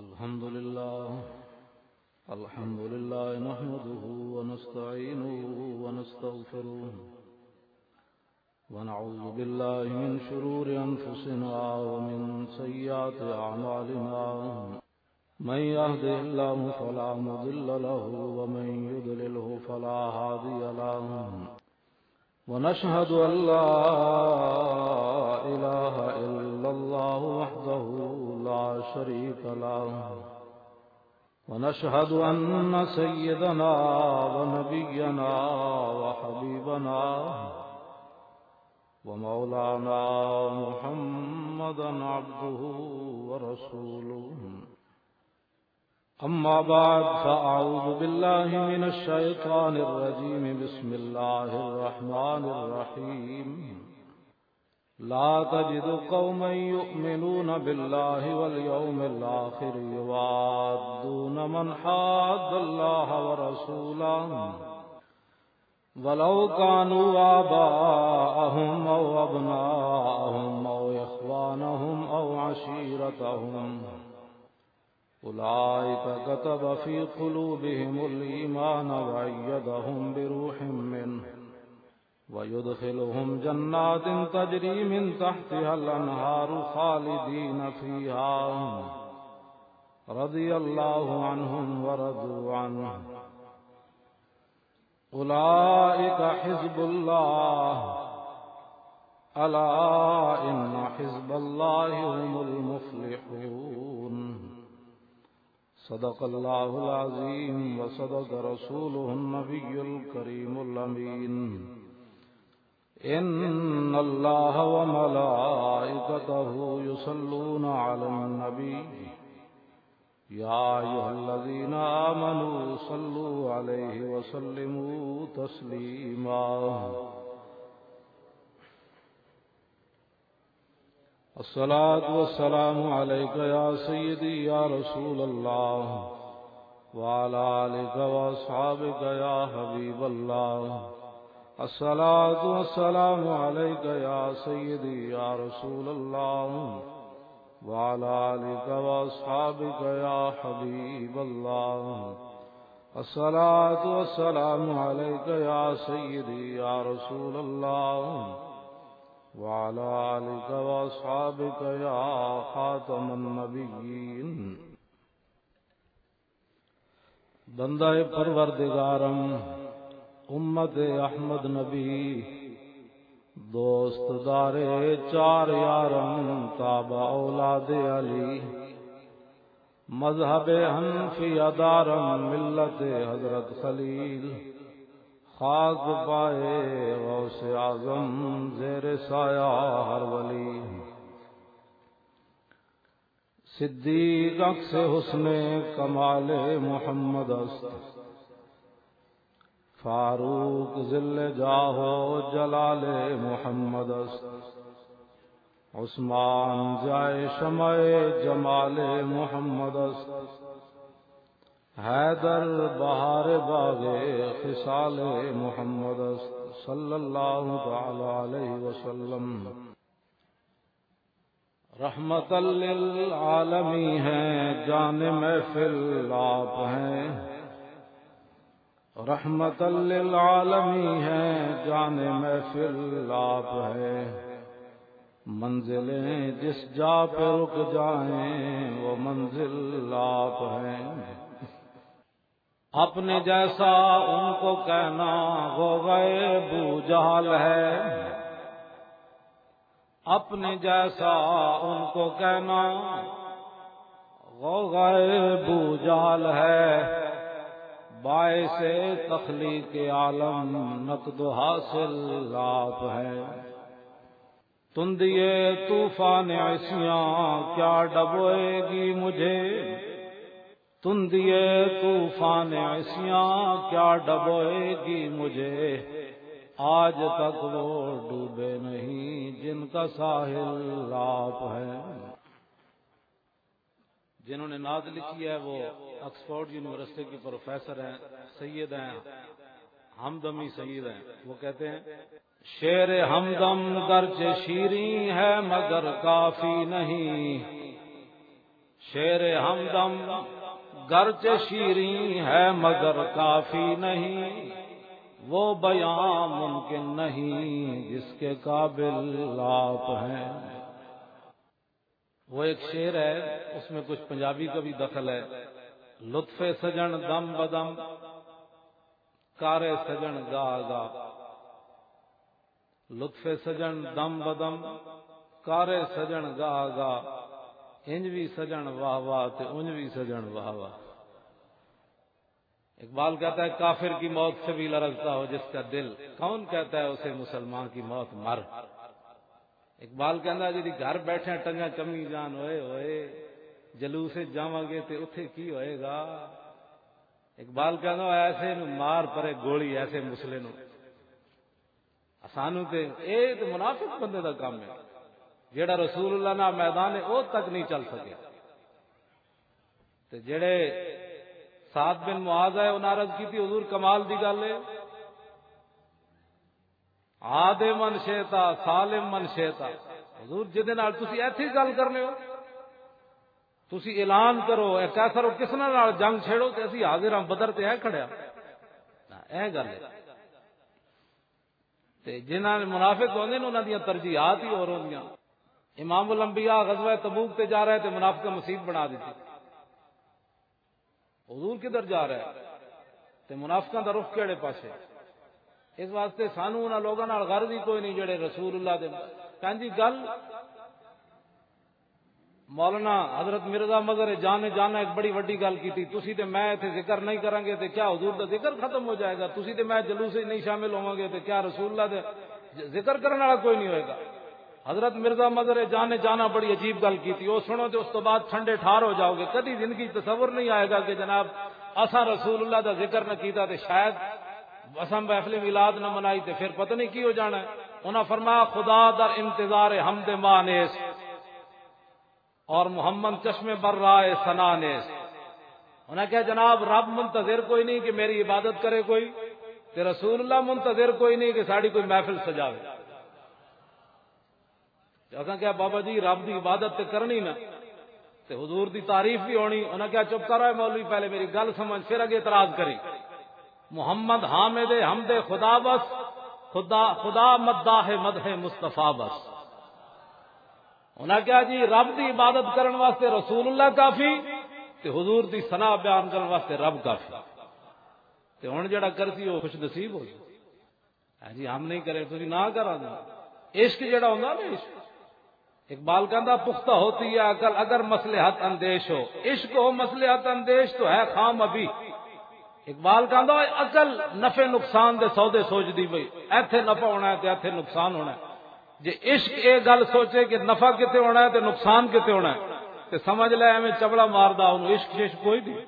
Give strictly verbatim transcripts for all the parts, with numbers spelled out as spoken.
الحمد لله. الحمد لله نحمده ونستعينه ونستغفره، ونعوذ بالله من شرور أنفسنا ومن سيئات أعمالنا. من يهده الله فلا مضل له، ومن يضلله فلا هادي له. ونشهد أن لا إله إلا الله وحده لا شريك له، ونشهد أن سيدنا ونبينا وحبيبنا ومولانا محمدا عبده ورسوله. أما بعد، فأعوذ بالله من الشيطان الرجيم. بسم الله الرحمن الرحيم. لا تجد قوما يؤمنون بالله واليوم الآخر يوادون من حاد الله ورسوله ولو كانوا آباءهم أو أبناءهم أو إخوانهم أو عشيرتهم أولئك كتب في قلوبهم الإيمان وأيدهم بروح منه ويدخلهم جنات تجري من تحتها الأنهار خالدين فيها رضي الله عنهم ورضوا عنه. أولئك حزب الله، ألا إن حزب الله هم المفلحون. صدق الله العظيم وصدق رسوله النبي الكريم الأمين. إن الله وملائكته يصلون على النبي. يا أيها الذين آمنوا صلوا عليه وسلموا تسليما. الصلاة والسلام عليك يا سيدي يا رسول الله، وعلى آلك وأصحابك يا حبيب الله. الصلاة والسلام عليك يا سيدي يا رسول الله، وعلى آلك وأصحابك يا حبيب الله. الصلاة والسلام عليك يا سيدي يا رسول الله، وعلى آلك وأصحابك يا خاتم النبيين. بندہ پروردگارم، امت احمد نبی، دوست دارے چار یارم، تابع اولاد علی، مذہب حنفی دارم، ملت حضرت خلیل، خاک پائے غوث اعظم، زیر سایہ ہر ولی۔ صدیق عکس حسن کمال محمد است، فاروق ظل جاہ و جلال محمد است، عثمان ضیاء شمع جمال محمد است، حیدر بہار باغ خصال محمد است، صلی اللہ تعالی علیہ وسلم۔ رحمت للعالمی ہیں، جان محفل آپ ہیں۔ رحمت للعالمی ہیں، جان محفل آپ ہیں۔ منزلیں جس جا پہ رک جائیں، وہ منزل آپ ہیں۔ اپنے جیسا ان کو کہنا غوغائے بو جہل ہے۔ اپنے جیسا ان کو کہنا غوغائے بو جہل ہے۔ باعث تخلیق عالم نقد و حاصل آپ ہے۔ تندیے طوفان عصیاں کیا ڈبوئے گی مجھے؟ تندیے طوفان عصیاں کیا ڈبوئے گی مجھے؟ آج تک وہ ڈوبے نہیں جن کا ساحل آپ ہے۔ جنہوں نے نعت لکھی ہے، وہ آکسفورڈ یونیورسٹی کے پروفیسر ہیں، سید ہیں، ہمدمی سید ہیں۔ وہ کہتے ہیں، شعر ہمدم گرچہ شیریں ہے مگر کافی نہیں، شعر ہمدم گرچہ شیریں ہے مگر کافی نہیں، وہ بیاں ممکن نہیں جس کے قابل آپ ہیں۔ وہ ایک شعر ہے، اس میں کچھ پنجابی کا بھی دخل ہے۔ لطف سجن دم بدم، کار سجن گا گا۔ لطف سجن دم بدم، کار سجن گا گا۔ انج وی سجن واہ واہ تے انج وی سجن واہ واہ۔ اقبال کہتا ہے، کافر کی موت سے بھی لرزتا ہو جس کا دل، کون کہتا ہے اسے مسلمان کی موت مر؟ اقبال کہندا، جدی گھر بیٹھے ٹنگاں کمی جان، ہوئے ہوئے جلوس وچ جاواں گے تے اتھے کی ہوئے گا؟ اقبال کہندا، ایسے نو مار پرے گولی، ایسے مسلے نو۔ اسانو تے، اے تے منافق بندے دا کام ہے، جیڑا رسول اللہ نال میدان ہے، او تک نہیں چل سکے۔ تے جڑے سعد بن معاذ ہے، انہاں عرض کیتی، حضور، کمال دی گل ہے، عاد من شئتا، سالم من شئتا۔ حضور، جدے نال تسی ایتھے ہی گل کرنے ہو، تسی اعلان کرو، اے قیصر، او کس نال جنگ چھیڑو، تے اسی حاضر ہاں، بدر تے ہے کھڑیا۔ ہاں، اے گل ہے۔ تے جنہاں نے منافق ہوندے نے، انہاں دیاں ترجیحات ہی ہور ہوندیاں۔ امام الانبیاء غزوہ تبوک تے جا رہے تے منافقاں مصیبت بنا دتی۔ حضور کدھر جا رہا ہے تے منافقاں دا رخ کیڑے پاسے؟ اس واسطے سانو انہاں لوگاں نال غرض ہی کوئی نہیں جڑے رسول اللہ دے۔ کہن جی گل مولانا حضرت مرزا مظہر جان نے جانا ایک بڑی وڈی گل کیتی، تسی تے میں ایتھے ذکر نہیں کرانگے تے کیا حضور دا ذکر ختم ہو جائے گا؟ تسی تے میں جلوس وچ نہیں شامل ہوواں گے تے کیا رسول اللہ دے ذکر کرن والا کوئی نہیں ہوئے گا؟ حضرت مرزا مظہر جان نے جانا بڑی عجیب گل کیتی، او سنو تے اس تو بعد ٹھنڈے ٹھار ہو جاؤ گے۔ کدی زندگی تصور نہیں آئے گا کہ جناب اساں رسول اللہ دا ذکر نہ کیتا تے شاید اساں محفل میلاد نہ منائی تے پھر پتہ نہیں کی ہو جانا ہے۔ انہاں فرمایا، خدا در انتظار حمد ما نیست اور محمد چشم بر رائے ثنا نیست۔ انہاں کہا، جناب، رب منتظر کوئی نہیں کہ میری عبادت کرے کوئی، تے رسول اللہ منتظر کوئی نہیں کہ ساڈی کوئی محفل سجاوے۔ تے اساں کہا، بابا جی، رب دی عبادت تے کرنی نا، تے حضور دی تعریف بھی ہونی۔ انہاں کہا، چپ کر، اے مولوی، پہلے میری گل سمجھ، پھر اگے اعتراض کری۔ محمد حامد حمد خدا بس، خدا، خدا مداح مدح مصطفیٰ بس۔ انہاں کہا، جی، رب دی عبادت کرن واسطے رسول اللہ کافی، تے حضور دی ثنا بیان کرن واسطے رب کافی۔ تے ہن جڑا کرسی، او خوش نصیب ہو جائے۔ ہاں جی، ہم نہیں کرے، تسی نہ کرا دے۔ عشق جڑا ہوندا نا، عشق، اقبال کہندا، پختہ ہوتی ہے عقل اگر مصلحت اندیش ہو۔ عشق ہو مصلحت اندیش تو ہے خام ابھی۔ اقبال کہندا، اوہ عقل نفع نقصان دے سودے سوچدی پئی، ایتھے نفع ہونا ہے تے ایتھے نقصان ہونا ہے۔ جے عشق اے گل سوچے کہ نفع کتے ہونا ہے تے نقصان کتے ہونا ہے، تے سمجھ لے ایویں چبڑا ماردا، اونوں عشق ششق کوئی نہیں۔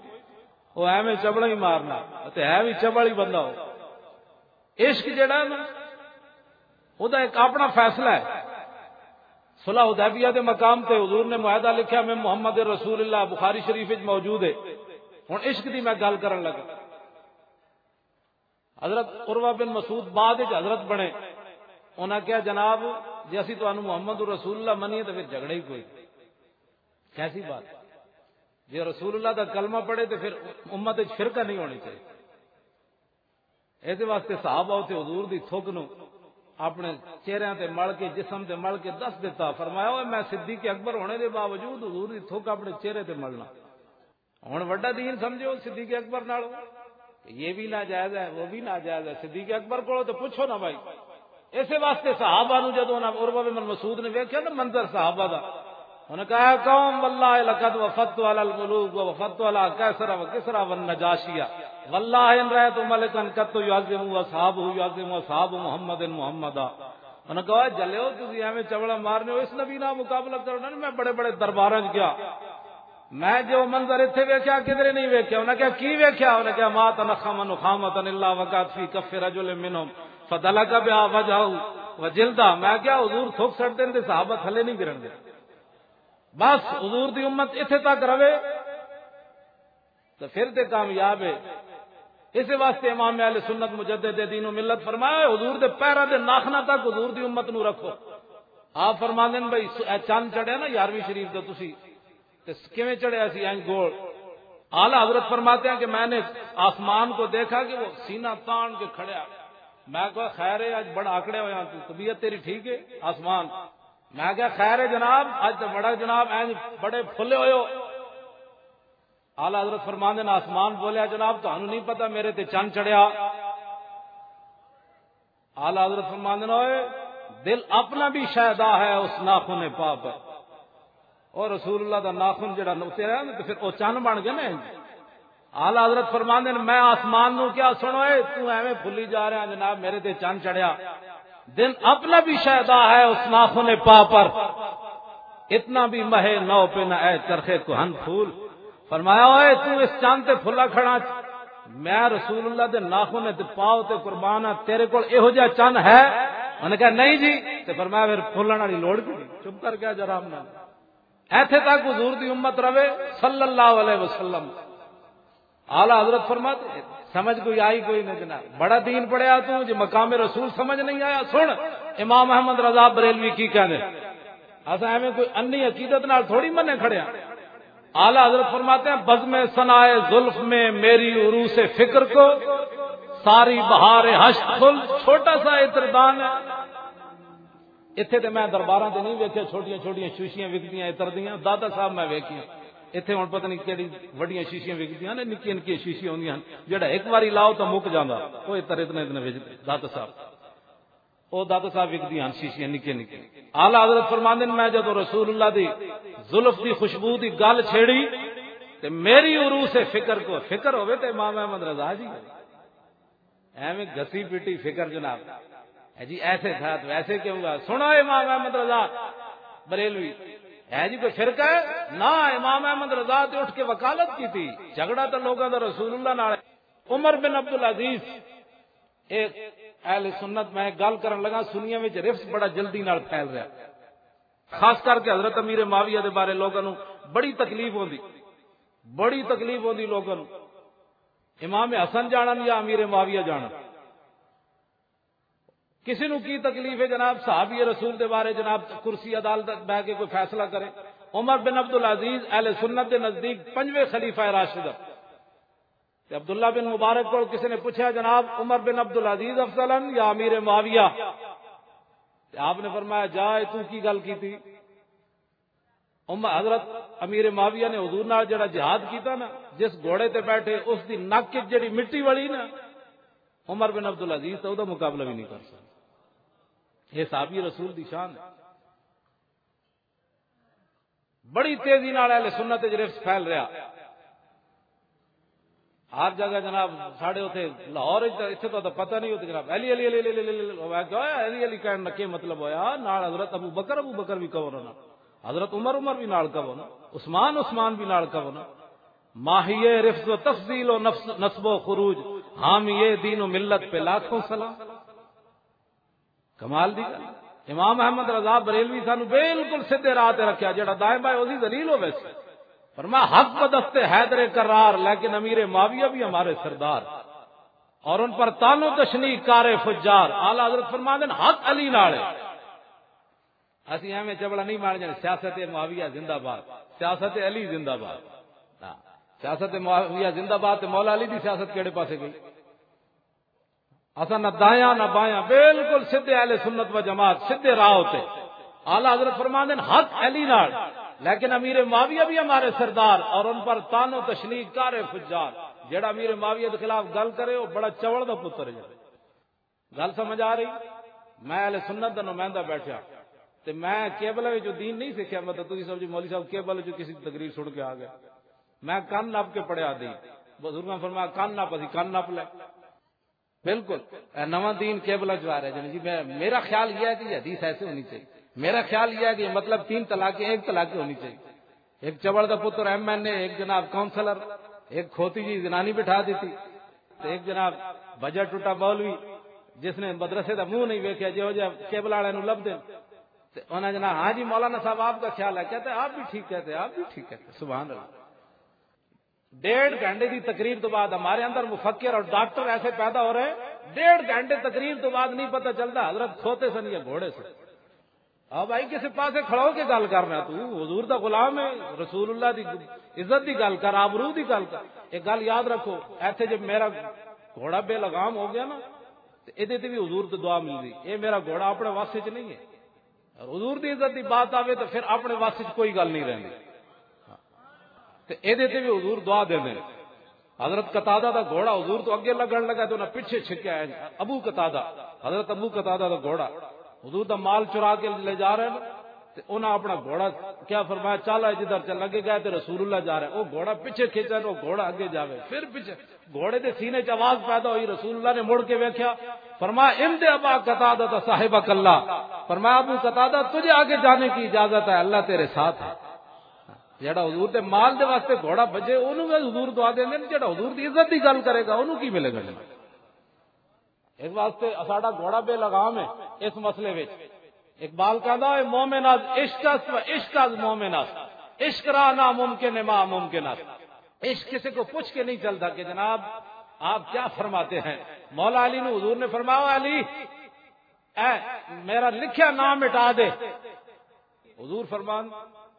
او ایویں چبڑا ہی مارنا، تے ہے بھی چبڑ ہی بندہ ہو۔ عشق جڑا ہے نا، او دا ایک اپنا فیصلہ ہے۔ صلح حدیبیہ دے مقام تے حضور نے معاہدہ لکھیا، میں محمد رسول اللہ، بخاری شریف وچ موجود ہے۔ ہن عشق دی میں گل کرن لگا۔ حضرت عروہ بن مسعود بعد وچ حضرت بنے۔ انہاں کہا، جناب، جے اسی تانوں محمد رسول اللہ منیے تے پھر جھگڑا ہی کوئی۔ کیسی بات؟ جے رسول اللہ دا کلمہ پڑھے تے پھر امت وچ فرقہ نہیں ہونی چاہیے۔ اس واسطے صحابہ تے حضور دی تھک نو اپنے چہریاں تے مل کے، جسم تے مل کے دس دتا۔ فرمایا، اوے، میں صدیق اکبر ہونے دے باوجود حضور دی تھک اپنے چہرے تے ملنا۔ ہن وڈا دین سمجھو صدیق اکبر نال، یہ بھی ناجائز ہے، وہ بھی ناجائز ہے۔ صدیق اکبر کولوں تے پوچھو نا بھائی۔ اسے واسطے صحابہ نو جدوں انہاں عروہ بن مسعود نے ویکھیا نا منظر صحابہ دا، انہاں کہا، "قوم واللہ لقد وفدت علی الملوک و وفدت علی قیصر و کسریٰ و النجاشیہ، واللہ ان رأیت ملکا قط یعظم اصحابہ یعظم اصحاب محمد محمدا۔" انہاں کہا، "جلیو، تسی ایویں چوڑا مارنے ہو، اس نبی نال مقابلہ کرو نا۔" میں بڑے بڑے درباراں وچ گیا، میں جو منظر اتھے ویکھیا، کدھرے نہیں ویکھیا۔ انہاں کہا، "کی ویکھیا؟" انہاں کہا، "ما تنخم نخامۃ الا وقعت فی کف رجل منہم فدلک بہا وجہہ و جلدہ۔" میں کہا، "حضور تھوک سٹ دین تے صحابہ تھلے نہیں گرن دے۔" بس حضور دی امت اتھے تک رہے تو پھر تے کامیاب ہے۔ اس واسطے امام اہل سنت مجدد دین و ملت فرمایا، حضور دے پیراں دے ناخناں تک حضور دی امت نو رکھو۔ آپ فرماندے نے، بھائی، س-، اے چند چڑھیا نا یارویں شریف دا، تسی تے کیویں چڑھیا سی انج گول؟ اعلیٰ حضرت فرماتے ہیں کہ میں نے آسمان کو دیکھا کہ وہ سینہ تان کے کھڑا۔ میں کہا، "خیر ہے، اج بڑا آکڑیا ہویا تو، طبیعت تیری ٹھیک ہے؟" آسمان۔ میں کہا، "خیر ہے جناب، اج تو بڑا جناب انج بڑے پھلے ہوئے ہو۔" اعلیٰ حضرت فرماندے نے، آسمان بولیا، "جناب، تانوں نہیں پتا میرے تے چن چڑھیا؟" اعلیٰ حضرت فرماندے نے، "اوئے، دل اپنا بھی شیدا ہے اس ناخن پا پر۔" اور رسول اللہ دا ناخن جڑا اتریا نا، تے پھر او چن بن گئے نا۔ اعلیٰ حضرت فرماندے نے، میں آسمان نو کیا، "سنو اے، تو ایویں پھلی جا رہا جناب، میرے تے چن چڑھیا۔ دل اپنا بھی شیدا ہے اس ناخن پا پر، اتنا بھی مہ نو پہ نہ اے چرخے کہن پھول۔" فرمایا، "اوئے، تو اس چن تے پھلا کھڑا، میں رسول اللہ دے ناخن تے پاؤ تے قربان ہاں، تیرے کول ایہو جہا چن ہے؟" انہاں نے کہا، "نہیں جی۔" تے فرمایا، "پھر پھلن والی لوڑ کی نہیں، چپ کر کے آ جا آرام نال۔" ایتھے تک حضور دی امت روے، صلی اللہ علیہ وسلم۔ اعلیٰ حضرت فرماتے، سمجھ کوئی آئی کوئی نہ جناب، بڑا دین پڑھیا تو، جے مقام رسول سمجھ نہیں آیا، سن، امام احمد رضا بریلوی کی کہنے۔ اساں ایویں کوئی انی عقیدت نال تھوڑی منے کھڑے ہاں۔ اعلیٰ حضرت فرماتے ہیں، بزم ثنائے زلف میں میری عروس فکر کو، ساری بہار ہشت پھل، چھوٹا سا عطردان ہے۔ اتھے تے میں درباراں تے نہیں ویکھیا، چھوٹیاں چھوٹیاں شیشیاں وکدیاں عطر دیاں، دادا صاحب میں ویکھیاں۔ اتھے ہن پتہ نہیں کیڑی وڈیاں شیشیاں وکدیاں نے، نکیاں نکیاں شیشیاں ہوندیاں ہن، جیڑا ایک واری لاؤ تاں مک جاندا۔ او عطر اتنے اتنے وچ دادا صاحب، او دادا صاحب وکدیاں ہن شیشیاں نکیاں نکیاں۔ اعلیٰ حضرت فرماندے نے، میں جدوں رسول اللہ دی زلف دی خوشبو دی گل چھیڑی تے میری عروس فکر کو، فکر ہوے تے امام احمد رضا جی، ایویں گسی پیٹی فکر جناب۔ ہے جی، ایسے تھا تو ایسے کیوں ہوا؟ سنو امام احمد رضا بریلوی، ہے جی کوئی فرقہ ہے؟ نہ، امام احمد رضا تے اٹھ کے وکالت کی تھی۔ جھگڑا تو لوگوں دا رسول اللہ نال ہے۔ عمر بن عبد العزیز، ایک اہل سنت، میں ایک گل کرن لگا، سنیاں وچ رفس بڑا جلدی نال پھیل رہا، خاص کر کے حضرت امیر معاویہ دے بارے لوگوں نوں بڑی تکلیف ہوندی، بڑی تکلیف ہوندی لوگوں نوں۔ امام حسن جانن یا امیر معاویہ جانن، کسی نو کی تکلیف ہے جناب؟ صحابی رسول دے بارے جناب کرسی عدالت بہ کے کوئی فیصلہ کرے؟ عمر بن عبد العزیز اہل سنت دے نزدیک پنجویں خلیفہ راشد ہے۔ تے عبداللہ بن مبارک کو کسی نے پوچھا، جناب، عمر بن عبد العزیز افضل ہیں یا امیر معاویہ؟ تے آپ نے فرمایا، جا، اے تو کی گل کیتی؟ عمر، حضرت امیر معاویہ نے حضور نال جڑا جہاد کیتا نا، جس گھوڑے تے بیٹھے، اس دی نک وچ جڑی مٹی والی نا، عمر بن عبد العزیز تو دا مقابلہ بھی نہیں کر سکتا۔ یہ صحابی رسول دی شان ہے۔ بڑی تیزی نال اہل سنت وچ رفس پھیل رہا۔ ہر جگہ جناب، ساڈے اتھے لاہور وچ تاں، اتھے تاں پتہ نہیں ہوتا جناب، علی، علی، علی، علی، علی، علی، علی، علی، علی، علی کہن دا کی مطلب ہویا؟ نال حضرت ابو بکر، ابو بکر بھی کہو نا، حضرت عمر، عمر بھی نال کہو نا، عثمان، عثمان بھی نال کہو نا۔ ماہیے رفض و تفضیل و نفس، نصب و خروج، حامیے دین و ملت پہ لاکھوں سلام۔ کمال دی گل۔ امام احمد رضا بریلوی سانو بالکل سیدھے راہ تے رکھیا، جڑا دائیں بائیں اسی ذلیل ہوے سی۔ فرمایا، حق بدست حیدر کرار، لیکن امیر معاویہ بھی ہمارے سردار، اور ان پر تان و تشنیع کار فجار۔ اعلیٰ حضرت فرماندے نے، حق علی نال ہے۔ اسی ایویں چبڑا نہیں مار جانے، سیاست معاویہ زندہ باد، سیاست علی زندہ باد۔ ہاں، سیاست معاویہ زندہ باد تے مولا علی دی سیاست کیڑے پاسے گئی؟ اساں نہ دایاں نہ بایاں، بالکل سیدھے اہل سنت و جماعت، سیدھے راہ تے۔ اعلیٰ حضرت فرماندے نے، حق علی نال، لیکن امیر معاویہ بھی ہمارے سردار، اور ان پر تان و تشنیع کار فجار۔ جڑا امیر معاویہ کے خلاف گل کرے، وہ بڑا چوڑ دا پتر ہے۔ گل سمجھ آ رہی؟ میں اہل سنت دا نمائندہ بیٹھا، تے میں کیبل وچ جو دین نہیں سیکھیا، مطلب تسی سمجھو مولوی صاحب کیبل وچ کسی دی تقریر سن کے آ گیا۔ میں کن نپ کے پڑھیا دین۔ بزرگاں فرمایا، کن نپ، اسی کن نپ لے۔ بالکل۔ اے نواں دین کیبل وچ آ رہا ہے جی۔ میں، میرا خیال یہ ہے کہ یہ حدیث ایسے ہونی چاہیے۔ میرا خیال یہ ہے کہ یہ مطلب تین طلاقیں ایک طلاق ہونی چاہیے۔ ایک چبل دا پتر ایم این اے، ایک جناب کونسلر، ایک کھوتی جی زنانی بٹھا دیتی، تے ایک جناب بجٹ ٹوٹا مولوی، جس نے مدرسے دا منہ نہیں ویکھیا، جہو جہا کیبل والے نوں لبدے۔ تے انہاں جناب، "ہاں جی مولانا صاحب، آپ کا خیال ہے؟" کہتے ہیں، "آپ بھی ٹھیک کہتے ہیں، آپ بھی ٹھیک کہتے ہیں۔" سبحان اللہ۔ ڈیڑھ گھنٹے دی تقریر تو بعد ہمارے اندر مفکر اور ڈاکٹر ایسے پیدا ہو رہے ہیں، ڈیڑھ گھنٹے تقریر تو بعد نہیں پتہ چلتا حضرت کھوتے سن یا گھوڑے سن۔ آ بھائی، کسے پاسے کھڑا ہو کے گل کرنا، تو حضور دا غلام ہے، رسول اللہ دی عزت دی گل کر، آبرو دی گل کر۔ ایک گل یاد رکھو، ایتھے جے میرا گھوڑا بے لگام ہو گیا نا، تے ایدے تے بھی حضور تو دعا ملدی۔ اے میرا گھوڑا اپنے واسطے چ نہیں ہے۔ اور حضور دی عزت دی بات آوے تو پھر اپنے واسطے چ کوئی گل نہیں رہندی۔ تے ایدے تے بھی حضور دعا دیندے نے۔ حضرت قتادہ دا گھوڑا حضور تو اگے لگن لگا تے انہاں پیچھے چھکیا ہے۔ ابو قتادہ، حضرت ابو قتادہ دا گھوڑا، حضور دا مال چرا کے لے جا رہے ہیں۔ تے انہاں اپنا گھوڑا کیا فرمایا، "چل اے جدھر چل لگے گئے تے رسول اللہ جا رہے ہیں۔" وہ گھوڑا پیچھے کھینچا تے وہ گھوڑا اگے جاوے، پھر پیچھے۔ گھوڑے دے سینے چ آواز پیدا ہوئی، رسول اللہ نے مڑ کے ویکھیا، فرمایا، "امد ابا قتادہ صاحبک اللہ۔" فرمایا، "ابو قتادہ، تجھے آگے جانے کی اجازت ہے، اللہ تیرے ساتھ ہے۔" جڑا حضور دے مال دے واسطے گھوڑا بجے، اونوں وی حضور دعا دیندے نے، جڑا حضور دی عزت دی گل کرے گا، اونوں کی ملے گا؟ اس واسطے ساڈا گھوڑا بے لگام ہے اس مسئلے وچ۔ اقبال کہندا ہے، "مومن از عشق است و عشق از مومن است، عشق را ناممکن ما ممکن است۔" عشق کسی کو پوچھ کے نہیں چلتا کہ جناب آپ کیا فرماتے ہیں۔ مولا علی نو حضور نے فرمایا، "علی، اے میرا لکھیا نام مٹا دے۔" حضور فرمان،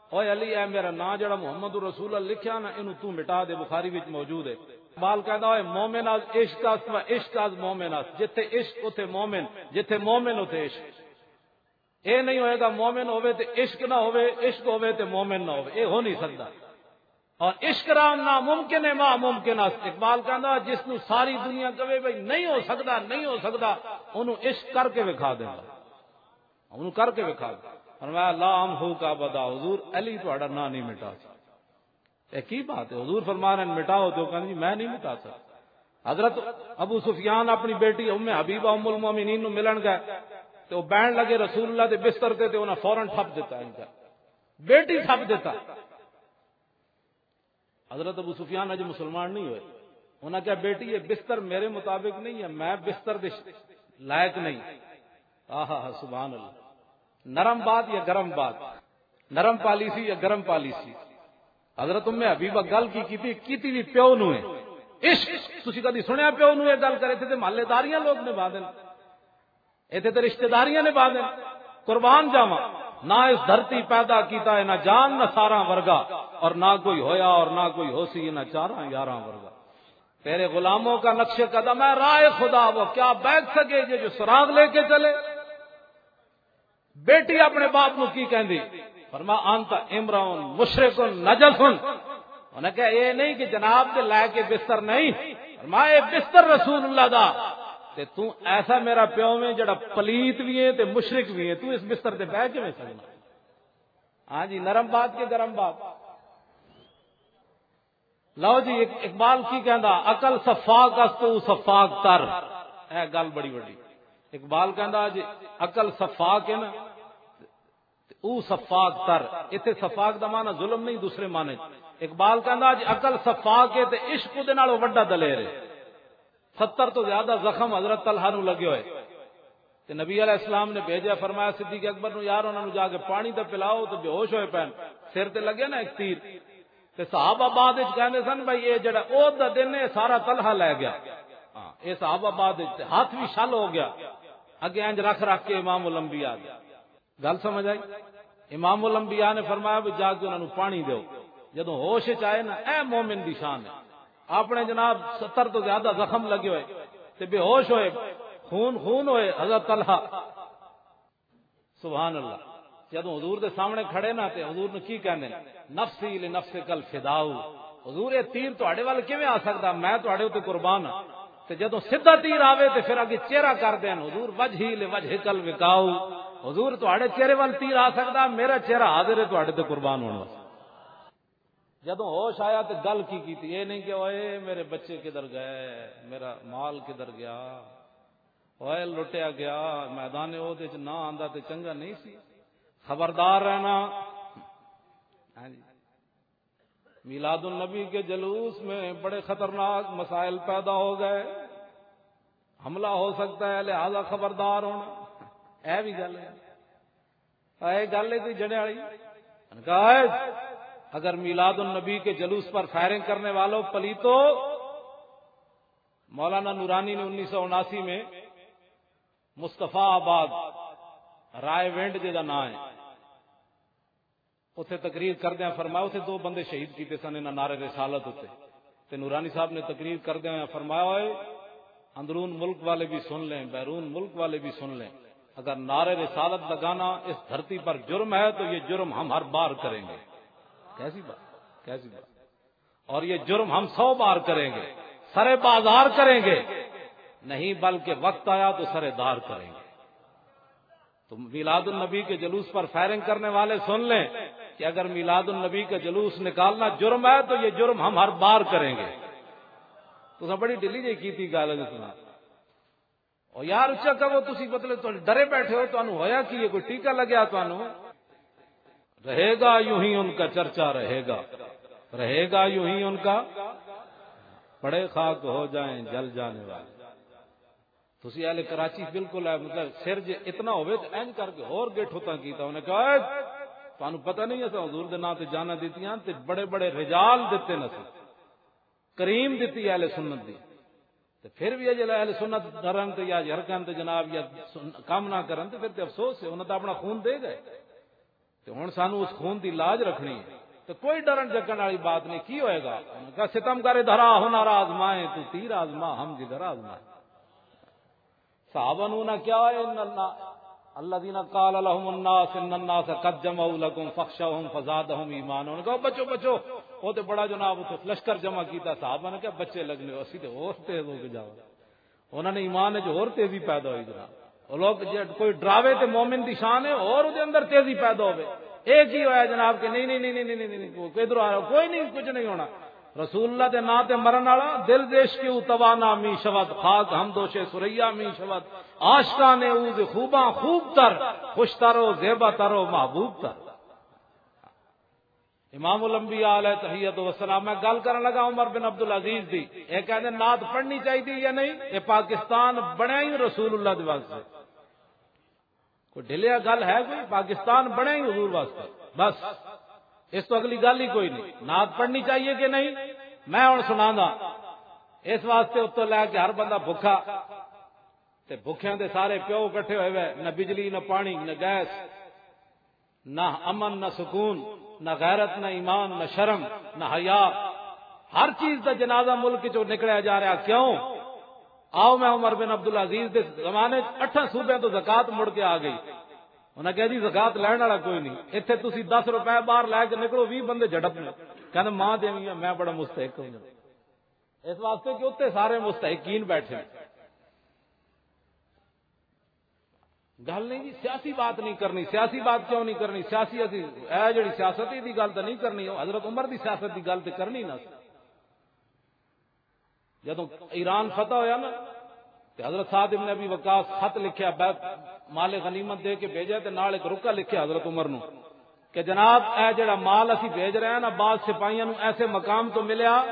"اوے علی، اے میرا نام جڑا محمد رسول اللہ لکھیا نا، اینو تو مٹا دے۔" بخاری وچ موجود ہے۔ اقبال کہندا ہوئے، "مومن از عشق است و عشق از مومن است۔" جتھے عشق اتھے مومن، جتھے مومن اتھے عشق۔ اے نہیں ہوئے گا مومن ہوئے تے عشق نہ ہوئے، عشق ہوئے تے مومن نہ ہوئے، اے ہو نہیں سکدا۔ اور عشق رام ناممکن ہے، ما ممکن است۔ اقبال کہندا، جس نو ساری دنیا کہے بھائی نہیں ہو سکدا، نہیں ہو سکدا، اونوں عشق کر کے وکھا دیندا۔ انہوں کر کے وکھا۔ فرمایا، "لا امحوک ابدا"، حضور، علی تہاڈا نام نہیں مٹا سکدا۔ اے کی بات ہے؟ حضور فرما رہے ہیں، "مٹاؤ"، تو کہنے، "جی، میں نہیں مٹا سکتا۔" حضرت ابو سفیان اپنی بیٹی ام حبیبہ ام المومنین نو ملن گئے، تے وہ بہن لگے رسول اللہ دے بستر تے، تے انہاں فوراً ٹھپ دیتا ان کا، بیٹی ٹھپ دیتا۔ حضرت ابو سفیان اج مسلمان نہیں ہوئے۔ انہاں کہا، "بیٹی، یہ بستر میرے مطابق نہیں ہے، میں بستر دے لائق نہیں۔" آہا، سبحان اللہ۔ نرم بات یا گرم بات؟ نرم پالیسی یا گرم پالیسی؟ حضرت ام حبیبہ گل کی کیتی؟ کیتی بھی پیو نو ہے۔ عشق، تسی کدی سنیا پیو نو یہ گل کرے؟ تے محلے داریاں لوگ نبھا دین۔ ایتھے تے رشتہ داریاں نے بعد۔ قربان جاواں، نہ اس دھرتی پیدا کیتا ہے، نہ جان نہ ساراں ورگا، اور نہ کوئی ہویا اور نہ کوئی ہو سی، نہ چاراں یاراں ورگا۔ تیرے غلاموں کا نقش قدم ہے راہ خدا، وہ کیا بیگ سکے یہ جو سراغ لے کے چلے؟ بیٹی اپنے باپ نو کی کہندی؟ فرما، "انت امرؤن مشرکن نجسن۔" انہاں کہا، "اے نہیں کہ جناب دے لے کے بستر نہیں۔" فرما، "اے بستر رسول اللہ دا، تے تو ایسا میرا پیو میں جڑا پلیت بھی ہے تے مشرک بھی ہے، تو اس بستر تے بہ کے میں سکنا؟" ہاں جی، نرم بات کے گرم بات۔ لو جی، اق-، اقبال کی کہندا، "عقل سفاک است و سفاک تر۔" اے گل بڑی وڈی۔ اقبال کہندا جی، عقل سفاک ہے نا، تے او سفاک تر۔ ایتھے سفاک دا معنی ظلم نہیں، دوسرے معنی۔ اقبال کہندا جی، عقل سفاک ہے تے عشق دے نال وڈا دلیر ہے۔ ستر تو زیادہ زخم حضرت طلحہ نو لگے ہوئے۔ تے نبی علیہ السلام نے بھیجا، فرمایا صدیق اکبر نو، "یار، انہاں نو جا کے پانی تے پلاؤ، تے بے ہوش ہوئے پین۔" سر تے لگے نا ایک تیر۔ تے صحابہ بعد وچ کہندے سن، "بھائی، اے جڑا عہد دا دن ہے، سارا طلحہ لے گیا۔" ہاں، اے صحابہ بعد وچ تے ہاتھ بھی شل ہو گیا۔ اگے انج رکھ رکھ کے امام الانبیاء دے۔ گل سمجھ آئی؟ امام الانبیاء نے فرمایا بھی جا کے انہاں نوں پانی دیو۔ جدوں ہوش وچ آئے نا، اے مومن دی شان ہے۔ اپنے جناب ستر تو زیادہ زخم لگے ہوئے تے بے ہوش ہوئے، خون خون ہوئے حضرت طلحہ۔ سبحان اللہ۔ جدوں حضور دے سامنے کھڑے نا تے حضور نے کی کہنے؟ "نفسی لنفسک الفداء۔" حضور، یہ تیر تہاڈے ول کیویں آ سکدا؟ میں تہاڈے اُتے قربان ہاں۔ تے جدوں سیدھا تیر آوے تے پھر اگے چہرہ کر دین، "حضور، وجہی لوجہک الوقاء۔" حضور، تہاڈے چہرے ول تیر آ سکدا، میرا چہرہ حاضر ہے تہاڈے تے قربان ہون واسطے۔ جدوں ہوش آیا تے گل کی کیتی؟ اے نہیں کہ، "اوئے، میرے بچے کدھر گئے، میرا مال کدھر گیا، اوئے، لٹیا گیا، میدان عہد وچ نہ آندا تے چنگا نہیں سی۔" خبردار رہنا۔ ہاں جی۔ میلاد النبی کے جلوس میں بڑے خطرناک مسائل پیدا ہو گئے۔ حملہ ہو سکتا ہے، لہذا خبردار ہونا۔ اے بھی گل ہے۔ اے گل ہے کوئی جنے والی؟ انہوں نے کہا، "اے، اگر میلاد النبی کے جلوس پر فائرنگ کرنے والوں، پلیتو۔" مولانا نورانی نے انیس سو اناسی میں مصطفی آباد رائے ونڈ جے دا نام ہے، اتھے تقریر کردیاں فرمایا، اتھے دو بندے شہید کیتے سن انہاں نعرے رسالت اتے۔ تے نورانی صاحب نے تقریر کردیاں ہویاں فرمایا، ہوئے اندرون ملک والے بھی سن لیں، بیرون ملک والے بھی سن لیں، اگر نعرے رسالت لگانا اس دھرتی پر جرم ہے تو یہ جرم ہم ہر بار کریں گے۔ کیسی بات، کیسی بات۔ اور یہ جرم ہم سو بار کریں گے، سرے بازار کریں گے، نہیں بلکہ وقت آیا تو سرے دار کریں گے۔ تو میلاد النبی کے جلوس پر فائرنگ کرنے والے سن لیں کہ اگر میلاد النبی کا جلوس نکالنا جرم ہے تو یہ جرم ہم ہر بار کریں گے۔ تو بڑی ڈلی جی کی تھی گل ہے جس میں۔ اور یار اچا کہو، تسی مطلب تو ڈرے بیٹھے ہو، تانوں ہویا کی یہ کوئی ٹیکہ لگیا تانوں؟ رہے گا یوں ہی ان کا چرچا، رہے گا، رہے گا یوں ہی ان کا، پڑے خاک ہو جائیں جل جانے والے۔ تسی اہل کراچی بالکل ہے، مطلب سر جے اتنا ہوئے تو اینج کر کے ہور گیٹھو تاں کیتا۔ انہیں کہا، "اے، تانوں پتہ نہیں اساں حضور دے نام تے جانا دتیاں تے بڑے بڑے رجال دتے نہ سی، کریم دتی اہل سنت دی۔" تے پھر بھی اجے اہل سنت ڈرن تے یا یرکن تے جناب یا سن-، کام نہ کرن تے پھر تے افسوس ہے، انہاں تے اپنا خون دے گئے۔ تے ہن سانو اس خون دی لاج رکھنی ہے۔ تے کوئی ڈرن جکن والی بات نہیں، کی ہوئے گا؟ انہاں کہا، "ستم کرے دھرا ہو نارا آزمائے، تو تیر آزما ہم جگر آزمائے۔" صحابہ نو نہ کیا ہے، ان اللہ، الذین قال لهم الناس ان الناس قد جمعوا لكم فاخشوهم فزادهم ایمانا۔ انہاں کہا، "بچو، بچو۔" وہ تے بڑا جناب اتھے لشکر جمع کیتا، صحابہ نے کہا، "بچے لگنے ہو، اسی تے اور تیز ہو کے جاؤ۔" انہاں نے ایمان وچ ہور تیزی پیدا ہوئی جناب۔ وہ لوگ جے کوئی ڈراوے تے مومن دی شان ہے، اور دے اندر تیزی پیدا ہوے۔ اے کی ہویا جناب کہ نہیں، نہیں، نہیں، نہیں، نہیں، نہیں، نہیں، کوئی ادھر آ رہا، کوئی نہیں، کچھ نہیں ہونا۔ رسول اللہ دے نام تے مرن والا، دل دے عشق او توانا می شود، خاک ہم دوش ثریا می شود، عاشقان او ز خوباں خوب تر، خوش تر و زیبا تر و محبوب تر۔ امام الانبیاء علیہ تحیت و سلام۔ میں گل کرن لگا عمر بن عبد العزیز دی، یہ کہندے نعت پڑھنی چاہیے یا نہیں؟ یہ پاکستان بنیا ہی رسول اللہ دے واسطے۔ کوئی ڈھلیا گل ہے؟ کوئی پاکستان بنیا ہی حضور واسطے، بس۔ اس تو اگلی گل ہی کوئی نہیں۔ نعت پڑھنی چاہیے کہ نہیں؟ میں ہن سنانا۔ اس واسطے اتوں لے کے ہر بندہ بھکھا، تے بھکھیاں دے سارے پیو اکٹھے ہوئے ہوئے، نہ بجلی، نہ پانی، نہ گیس، نہ امن، نہ سکون، نہ غیرت، نہ ایمان، نہ شرم، نہ حیا۔ ہر چیز دا جنازہ ملک چوں نکلیا جا رہا۔ کیوں؟ آؤ، میں عمر بن عبد العزیز دے زمانے چ اٹھاں صوبیاں تو زکات مڑ کے آ گئی۔ انہاں کہا، "جی، زکات لین والا کوئی نہیں، اتھے تسی دس روپے باہر لے کے نکلو، ویہہ بندے جھڑپ نے۔" کہندے، "ماں دیوی ہاں، میں بڑا مستحق ہوں۔" اس واسطے کہ اتنے سارے مستحقین بیٹھے۔ گل نہیں جی، سیاسی بات نہیں کرنی۔ سیاسی بات کیوں نہیں کرنی؟ سیاسی اسی، اے جڑی سیاست ہے، دی گل تو نہیں کرنی۔ حضرت عمر دی سیاست دی گل تو کرنی نہ سی۔ جدوں ایران فتح ہویا نا، تے حضرت سعد ابن ابی وقاص خط لکھیا، بیت مال غنیمت دے کے بھیجا، تے نال ایک رکا لکھیا حضرت عمر نو کہ جناب، اے جڑا مال اسی بھیج رہے ہیں نا، بعض سپاہیاں نو ایسے مقام تو ملیا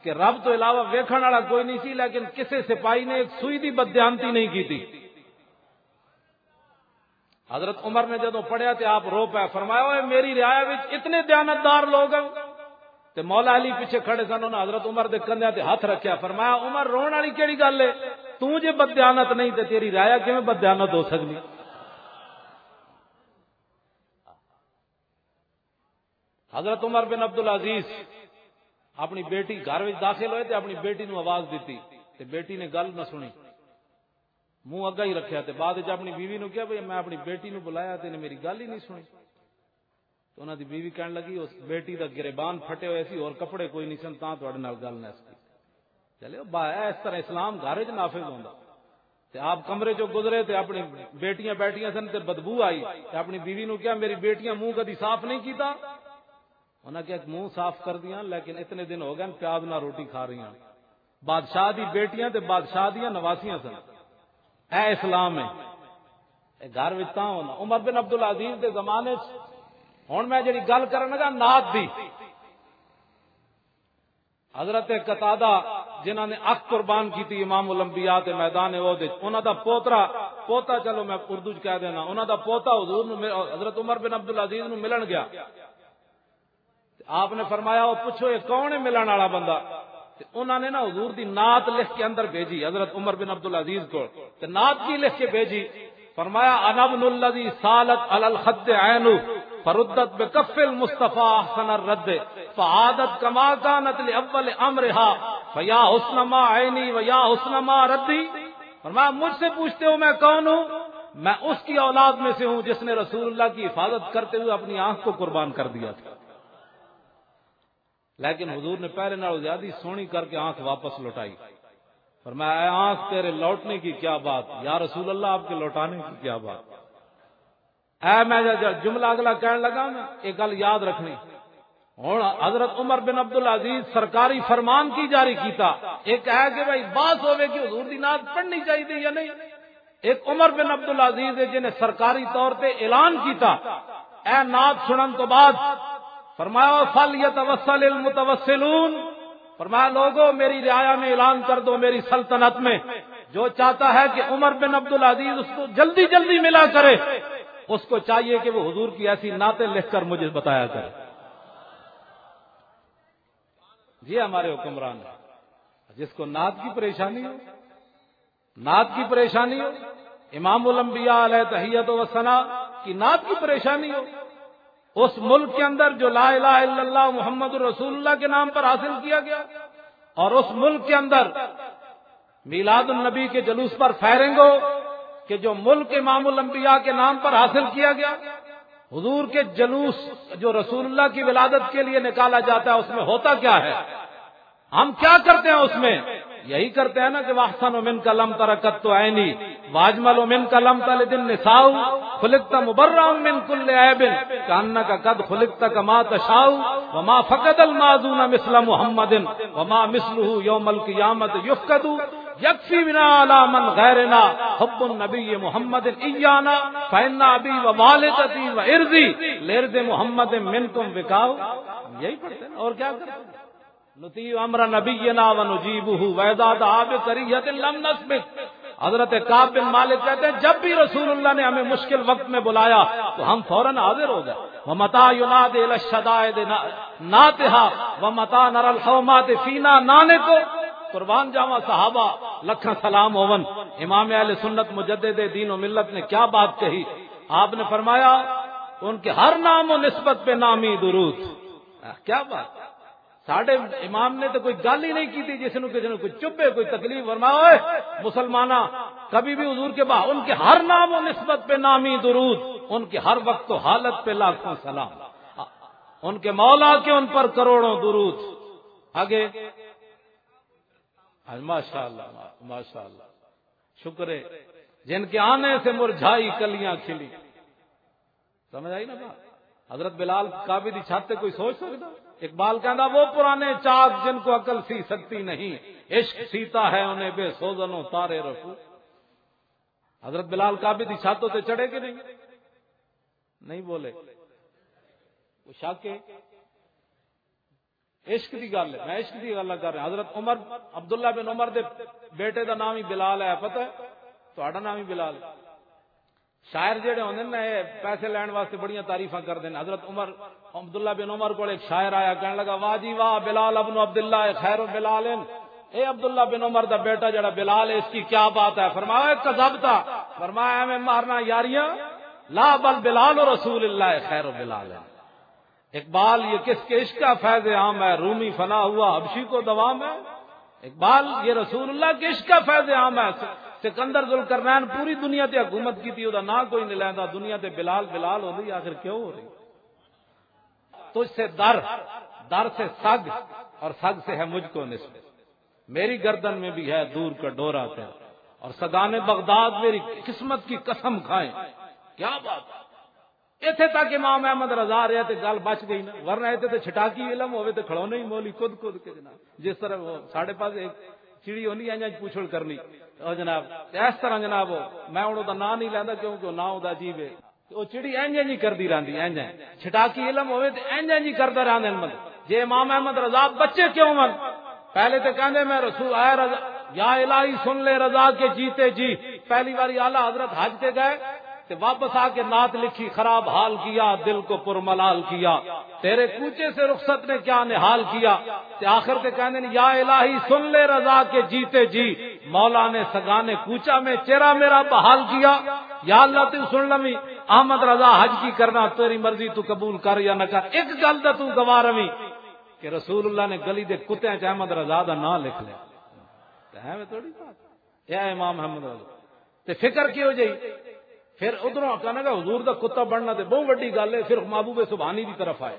کہ رب تو علاوہ ویکھن والا کوئی نہیں سی، لیکن کسے سپاہی نے ایک سوئی دی بددیانتی نہیں کی تھی۔ حضرت عمر نے جدوں پڑھیا تے آپ رو پیا، فرمایا، "اوئے، میری رعایا وچ اتنے دیانتدار لوگ ہیں۔" تے مولا علی پیچھے کھڑے سن، انہاں حضرت عمر دے کندھیاں تے ہاتھ رکھیا، فرمایا، "عمر، رون والی کیڑی گل ہے؟ توں جے بددیانت نہیں تے تیری رعایا کیویں بددیانت ہو سکدی؟" حضرت عمر بن عبد العزیز اپنی بیٹی گھر وچ داخل ہوئے تے اپنی بیٹی نو آواز دتی، تے بیٹی نے گل نہ سنی، منہ اگا ہی رکھیا۔ تے بعد وچ اپنی بیوی نو کہیا، "بھئی، میں اپنی بیٹی نو بلایا تے انہیں میری گل ہی نہیں سنی۔" تے انہاں دی بیوی کہن لگی، "اس بیٹی دا گریبان پھٹے ہوئے سی اور کپڑے کوئی نہیں سن، تاں تہاڈے نال گل نہ سی۔" چلے، با-، اے اس طرح اسلام گھر وچ نافذ ہوندا۔ تے آپ کمرے چوں گزرے تے اپنی بیٹیاں بیٹھیاں سن تے بدبو آئی۔ تے اپنی بیوی نو کہیا، "میری بیٹیاں منہ کدی صاف نہیں کیتا؟" انہاں کہیا، "منہ صاف کر دیاں، لیکن اتنے دن ہو گئے پیاز نہ روٹی کھا رہی ہیں۔" بادشاہ دی بیٹیاں تے بادشاہ دیاں نواسیاں سن۔ اے اسلام ہے۔ اے گھر وچ تاں ہونا۔ عمر بن عبد العزیز دے زمانے چ، ہن میں جڑی گل کرن لگا نعت دی، حضرت قتادہ جنہاں نے اکھ قربان کیتی امام الانبیاء تے میدان احد وچ، انہاں دا پوترا، پوتا چلو میں اردو چ کہہ دینا، انہاں دا پوتا حضور نو مل-، حضرت عمر بن عبد العزیز نو ملن گیا۔ تے آپ نے فرمایا، "او پچھو، یہ کون ہے ملن والا بندہ؟" تے انہاں نے نا حضور دی نعت لکھ کے اندر بھیجی حضرت عمر بن عبد العزیز کو۔ تے نعت کی لکھ کے بھیجی؟ فرمایا، "انا ابن الذي سالت على الخد عينه فردت بكف المصطفى احسن الرد، فعادت كما كانت لاول امرها، فيا حسن ما عيني ويا حسن ما ردي۔" فرمایا، "مجھ سے پوچھتے ہو میں کون ہوں؟ میں اس کی اولاد میں سے ہوں جس نے رسول اللہ کی حفاظت کرتے ہوئے اپنی آنکھ کو قربان کر دیا تھا۔" لیکن حضور نے پہلے نال زیادہ سونی کر کے آنکھ واپس لوٹائی۔ فرمایا، "اے آنکھ، تیرے لوٹنے کی کیا بات؟ یا رسول اللہ، آپ کے لوٹانے کی کیا بات؟" اے میں جو جملہ اگلا کہن لگا نا، یہ گل یاد رکھنی۔ ہن حضرت عمر بن عبد العزیز سرکاری فرمان کی جاری کیتا۔ ایک ہے کہ بھائی، بات ہوے کہ حضور دی نعت پڑھنی چاہیے یا نہیں۔ ایک عمر بن عبد العزیز ہے جنہیں سرکاری طور تے اعلان کیتا۔ اے نعت سنن تو بعد فرمایا، "فَلْيَتَوَسَّلِ الْمُتَوَسِّلُونَ۔" فرمایا، "لوگو، میری رعایا میں اعلان کر دو، میری سلطنت میں جو چاہتا ہے کہ عمر بن عبد العزیز اس کو جلدی جلدی ملا کرے، اس کو چاہیے کہ وہ حضور کی ایسی نعتیں لکھ کر مجھے بتایا کرے۔" یہ ہمارے حکمران ہیں، جس کو نعت کی پریشانی ہو، نعت کی پریشانی ہو، امام الانبیاء علیہ تحیت و ثنا کی نعت کی پریشانی ہو، اس ملک کے اندر جو لا الہ الا اللہ محمد رسول اللہ کے نام پر حاصل کیا گیا، اور اس ملک کے اندر میلاد النبی کے جلوس پر فائرنگ ہو کہ جو ملک امام الانبیاء کے نام پر حاصل کیا گیا، حضور کے جلوس جو رسول اللہ کی ولادت کے لیے نکالا جاتا ہے، اس میں ہوتا کیا ہے؟ ہم کیا کرتے ہیں اس میں؟ یہی کرتے ہیں نا کہ "واحسن منک لم تر قط عینی، واجمل منک لم تلد النساء، خلقت مبرأ من کل عیب، کأنک قد خلقت کما تشاء، وما فقد الماذون مثل محمد، وما مثله یوم القیامت یفقد، یکفی بنا علی من غیرنا حب النبی محمد ایانا، فإن ابی و والدتی و عرضی لعرض محمد منکم وقاء۔" یہی پڑھتے ہیں اور کیا کرتے ہیں؟ "نطیع امر نبینا و نجیبہ و اذا دعا بکریہۃ لم نسبق۔" حضرت کعب بن مالک کہتے ہیں، جب بھی رسول اللہ نے ہمیں مشکل وقت میں بلایا تو ہم فوراً حاضر ہو گئے۔ "ومتا ینادی الی الشدائد نا-، ناتہا ومتا نرى الحومات فینا نانکو۔" قربان جاواں صحابہ، لکھاں سلام ہوون۔ امام اہل سنت مجدد دین و ملت نے کیا بات کہی۔ آپ نے فرمایا، ان کے ہر نام و نسبت پہ نامی درود۔ کیا بات؟ ساڈے امام نے تو کوئی گل ہی نہیں کی تھی، جس نو کسی نو کوئی چبھے، کوئی تکلیف۔ فرمایا، اوئے مسلماناں، کبھی بھی حضور کے با-، ان کے ہر نام و نسبت پہ نامی درود، ان کے ہر وقت و حالت پہ لاکھوں سلام، ان کے مولا کے ان پر کروڑوں درود۔ آگے، ماشاءاللہ، ماشاءاللہ، شکر ہے، جن کے آنے سے مرجھائی کلیاں کھلی۔ سمجھ آئی نا بات؟ حضرت بلال کعبے دی چھت تے کوئی سوچ سکدا؟ اقبال کہندا، "وہ پرانے چاک جن کو عقل سی سکتی نہیں، عشق سیتا ہے انہیں بے سوزن و تارے رفو۔" حضرت بلال کعبے دی چھت تے چڑھے کہ نہیں؟ نہیں بولے۔ وہ شک ہے۔ عشق دی گل ہے، میں عشق دی گل کر رہا۔ حضرت عمر، عبداللہ بن عمر دے بیٹے دا نام ہی بلال ہے، پتہ ہے؟ تہاڈا نام ہی بلال ہے۔ شاعر جڑے ہوندے نے، اے پیسے لین واسطے بڑیاں تعریفاں کردے نے۔ حضرت عمر، عبداللہ بن عمر کول ایک شاعر آیا، کہن لگا، "واہ جی واہ، بلال ابن عبداللہ خیر بلال ہیں۔" اے عبداللہ بن عمر دا بیٹا جڑا بلال ہے، اس کی کیا بات ہے؟ فرمایا، "کذبت۔" فرمایا، "ایویں مارنا یاریاں، لا بل بلال رسول اللہ خیر بلال ہیں۔" اقبال، یہ کس کے عشق کا فیض عام ہے؟ رومی فنا ہوا، حبشی کو دوام ہے۔ اقبال، یہ رسول اللہ کے عشق کا فیض عام ہے۔ سکندر ذوالقرنین پوری دنیا تے حکومت کی تھی، دا نام کوئی نہیں لیندا۔ دنیا تے بلال، بلال ہو رہی، آخر کیوں ہو رہی؟ تجھ سے در، در سے سگ، اور سگ سے ہے مجھ کو نسبت۔ میری گردن میں بھی ہے دور کا ڈورا تیرا، اور سگان بغداد میری قسمت کی قسم کھائیں۔ کیا بات ہے۔ ایتھے تک امام احمد رضا رہیا تے گل بچ گئی نا، ورنہ ایتھے تے چھٹاکی علم ہوے تے کھڑونے ہی مولی کد کد کے جناب۔ جس طرح وہ ساڈے پاس ایک چڑی ہوندی ہے، انج پوچھڑ کرنی، او جناب، تے اس طرح جناب، او میں ہن او دا ناں نہیں لیندا کیونکہ او ناں او دا عجیب ہے۔ تے او چڑی انج انج ہی کردی رہندی، انج انج۔ چھٹاکی علم ہوے تے انج انج ہی کردا رہندا ہے۔ جے امام احمد رضا بچے کیوں ہن؟ پہلے تے کہندے، "میں رسول، اے رضا، یا الہی سن لے رضا کے جیتے جی۔" پہلی باری اعلیٰ حضرت حج تے گئے تے واپس آ کے نعت لکھی، "خراب حال کیا، دل کو پر ملال کیا، تیرے کوچے سے رخصت نے کیا نحال کیا۔" تے آخر تے کہندے نے، "یا الہی سن لے رضا کے جیتے جی، مولا نے سگانے کوچا میں چہرہ میرا بحال کیا۔ یا اللہ، تو سن لوی، احمد رضا حج کی کرنا، تیری مرضی تو قبول کر یا نہ کر، ایک گل دا تو گواہ روی کہ رسول اللہ نے گلی دے کتیاں چ احمد رضا دا نام لکھ لیا۔ تے ایویں تھوڑی بات۔ اے امام احمد رضا۔ تے فکر کیوں جائی؟ پھر ادھروں کہنا کہ حضور دا کتا بننا تے بہت وڈی گل ہے، صرف محبوب سبحانی دی طرف آئے۔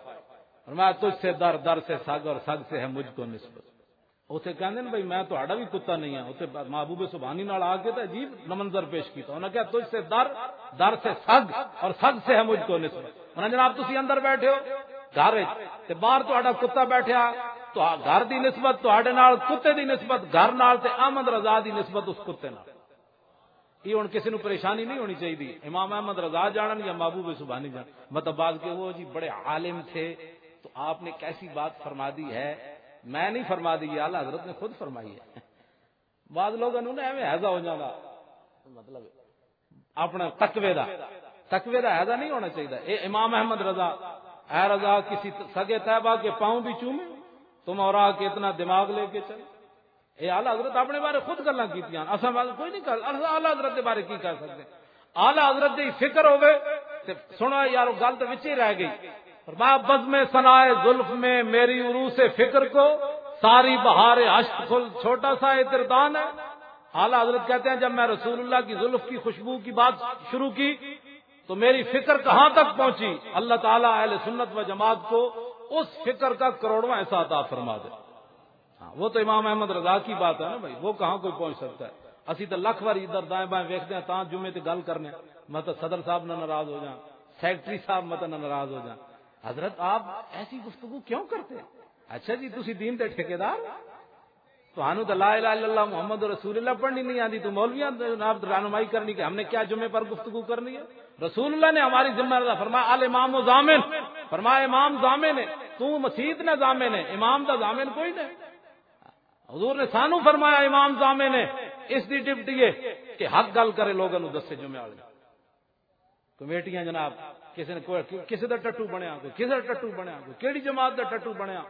فرمایا، تجھ سے در، در سے سگ، اور سگ سے ہے مجھ کو نسبت۔ اسے کہندے نے، بھائی، میں تہاڈا بھی کتا نہیں ہاں۔ اسے محبوب سبحانی نال آ کے تے عجیب منظر پیش کیتا۔ انہاں کہا، تجھ سے در، در سے سگ، اور سگ سے ہے مجھ کو نسبت۔ انہاں جناب، تسی اندر بیٹھے ہو گھر وچ، تے باہر تہاڈا کتا بیٹھیا، تو گھر دی نسبت تہاڈے نال، کتے دی نسبت گھر نال، تے احمد رضا دی نسبت اس کتے نال۔ یہ ہن کسی نوں پریشانی نہیں ہونی چاہیے۔ امام احمد رضا جانن یا محبوب سبحانی جانن، مطلب، بعض کے، وہ جی بڑے عالم تھے، تو آپ نے کیسی بات فرما دی ہے، میں نہیں فرما دی، یہ اعلیٰ حضرت نے خود فرمائی ہے۔ بعض لوگوں نے ایویں ہیضا ہو جانا، مطلب، اپنا تقوی دا، تقوی دا ہیضا نہیں ہونا چاہیے۔ اے امام احمد رضا، اے رضا، کسی سگے طیبہ کے پاؤں بھی چومے، تم اور آ کے اتنا دماغ لے کے چلے۔ اے اعلیٰ حضرت اپنے بارے خود گلاں کیتیاں، اساں بارے کوئی نہیں کر، اساں اعلیٰ حضرت دے بارے کی کر سکتے؟ اعلیٰ حضرت دی فکر ہوے تے سنو یارو، گل تے وچ ہی رہ گئی۔ فرمایا، بزم ثنائے زلف میں میری عروس فکر کو، ساری بہار اشک کھل، چھوٹا سا یہ دردان ہے۔ اعلیٰ حضرت کہتے ہیں، جب میں رسول اللہ کی زلف کی خوشبو کی بات شروع کی تو میری فکر کہاں تک پہنچی؟ اللہ تعالیٰ اہل سنت و جماعت کو اس فکر کا کروڑواں حصہ عطا فرما دے۔ ہاں، وہ تو امام احمد رضا کی بات ہے نا بھائی، وہ کہاں کوئی پہنچ سکتا ہے؟ اسی تو لکھ واری ادھر دائیں بائیں ویکھدے ہیں، تاں جمعے تے گل کرنے ہیں۔ میں تو صدر صاحب نہ ناراض ہو جاؤں، سیکرٹری صاحب مت نہ ناراض ہو جاؤں۔ حضرت، آپ ایسی گفتگو کیوں کرتے ہیں؟ اچھا جی، تسی دین دے ٹھیکیدار ہو؟ تانوں تو لا الہ الا اللہ محمد رسول اللہ پڑھنی نہیں آتی، تو مولویاں جناب رہنمائی کرنی کہ ہم نے کیا جمعے پر گفتگو کرنی ہے؟ رسول اللہ نے ہماری ذمہ دار فرمایا، الامام ضامن، فرمایا، امام ضامن ہے، تو مسیت نہ ضامن ہے، امام دا ضامن کوئی نہیں۔ حضور نے سانو فرمایا، امام ضامن ہے، اس دی ڈیوٹی ہے کہ حق گل کرے، لوگوں نوں دسے جمعے والے۔ کمیٹیاں جناب، کسی نے کوئی، کسی دا ٹٹو بنیا، کوئی کسی دا ٹٹو بنیا، کوئی کیڑی جماعت دا ٹٹو بنیا۔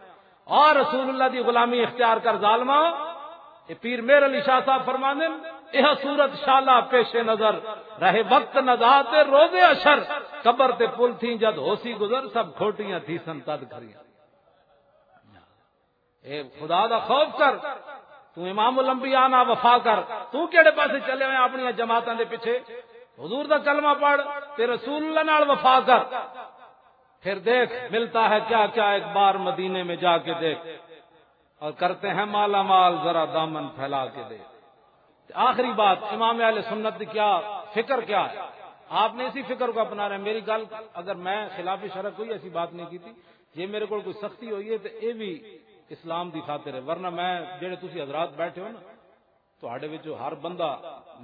اور رسول اللہ دی غلامی اختیار کر ظالما۔ یہ پیر مہر علی شاہ صاحب فرماندے، یہ صورت شالا پیش نظر، رہے وقت نزا تے روز اشر، قبر تے پل تھی جد ہوسی گزر، سب کھوٹیاں تھی سن تد کھریاں۔ اے خدا دا خوف کر، تو امام الانبیاء نہ وفا کر۔ تو کیڑے پاسے چلے ہوئے اپنی جماعتاں دے پیچھے؟ حضور دا کلمہ پڑھ تے رسول اللہ نال وفا کر۔ پھر دیکھ، ملتا ہے کیا کیا، ایک بار مدینے میں جا کے دیکھ، اور کرتے ہیں مالا مال، ذرا دامن پھیلا کے دیکھ۔ آخری بات، امام اہل سنت دی کیا فکر کیا ہے؟ آپ نے اسی فکر کو اپنا رہے ہیں۔ میری گل، اگر میں خلاف شرع کوئی ایسی بات نہیں کی تھی، جے میرے کول کوئی سختی ہوئی ہے تے اے بھی اسلام دی خاطر ہے، ورنہ میں، جڑے تسی حضرات بیٹھے ہو نا، تہاڈے وچوں ہر بندہ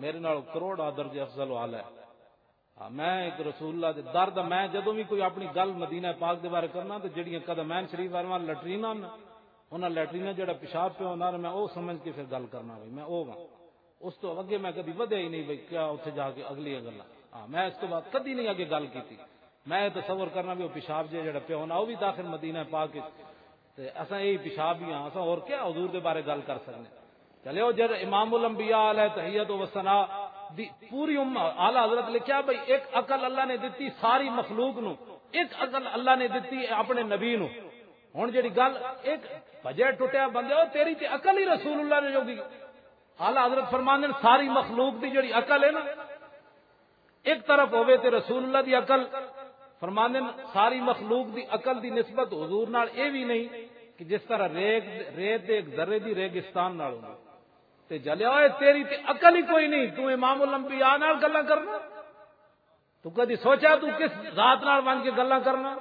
میرے نال کروڑ درجے افضل والا ہے۔ ہاں، میں ایک رسول اللہ دے در دا، میں جدوں بھی کوئی اپنی گل مدینہ پاک دے بارے کرنا تے جڑیاں قدمین شریف والے لٹریناں نا، انہاں لٹریناں جڑا پیشاب پیا ہونا، میں او سمجھ کے پھر گل کرنا، بھائی میں او واں۔ اس تو اگے میں کدی ودیا ہی نہیں، بھائی کیا اتھے جا کے اگلی گلاں۔ ہاں، میں اس تو بعد کدی نہیں اگے گل کیتی۔ میں یہ تصور کرنا بھی وہ پیشاب جے جڑا پیا ہونا، وہ بھی داخل مدینہ پاک وچ۔ تے اساں یہی پیشاب ہی ہاں، اساں اور کیا حضور دے بارے گل کر سکنے؟ چلے، او جد امام الانبیاء علیہ تحیت و ثنا دی پوری امت، اعلیٰ حضرت لکھیا بھائی، ایک عقل اللہ نے دتی ساری مخلوق نو، ایک عقل اللہ نے دتی اپنے نبی نو۔ ہن جڑی گل، ایک بجے ٹوٹیا بندے، او تیری تے عقل ہی رسول اللہ نے جوگی۔ اعلیٰ حضرت فرماندے نے، ساری مخلوق دی جڑی عقل ہے نا، ایک طرف ہووے تے رسول اللہ دی عقل، فرماندے نے، ساری مخلوق دی عقل دی نسبت حضور نال اے وی نہیں کہ جس طرح ریگ، ریت دے ایک ذرے دی ریگستان نال ہوندی۔ تے جلیا ہوئے، تیری تے عقل ہی کوئی نہیں، تو امام الانبیاء نال گلاں کرنا؟ تو کدی سوچا تو کس ذات نال ونج کے گلاں کرنا؟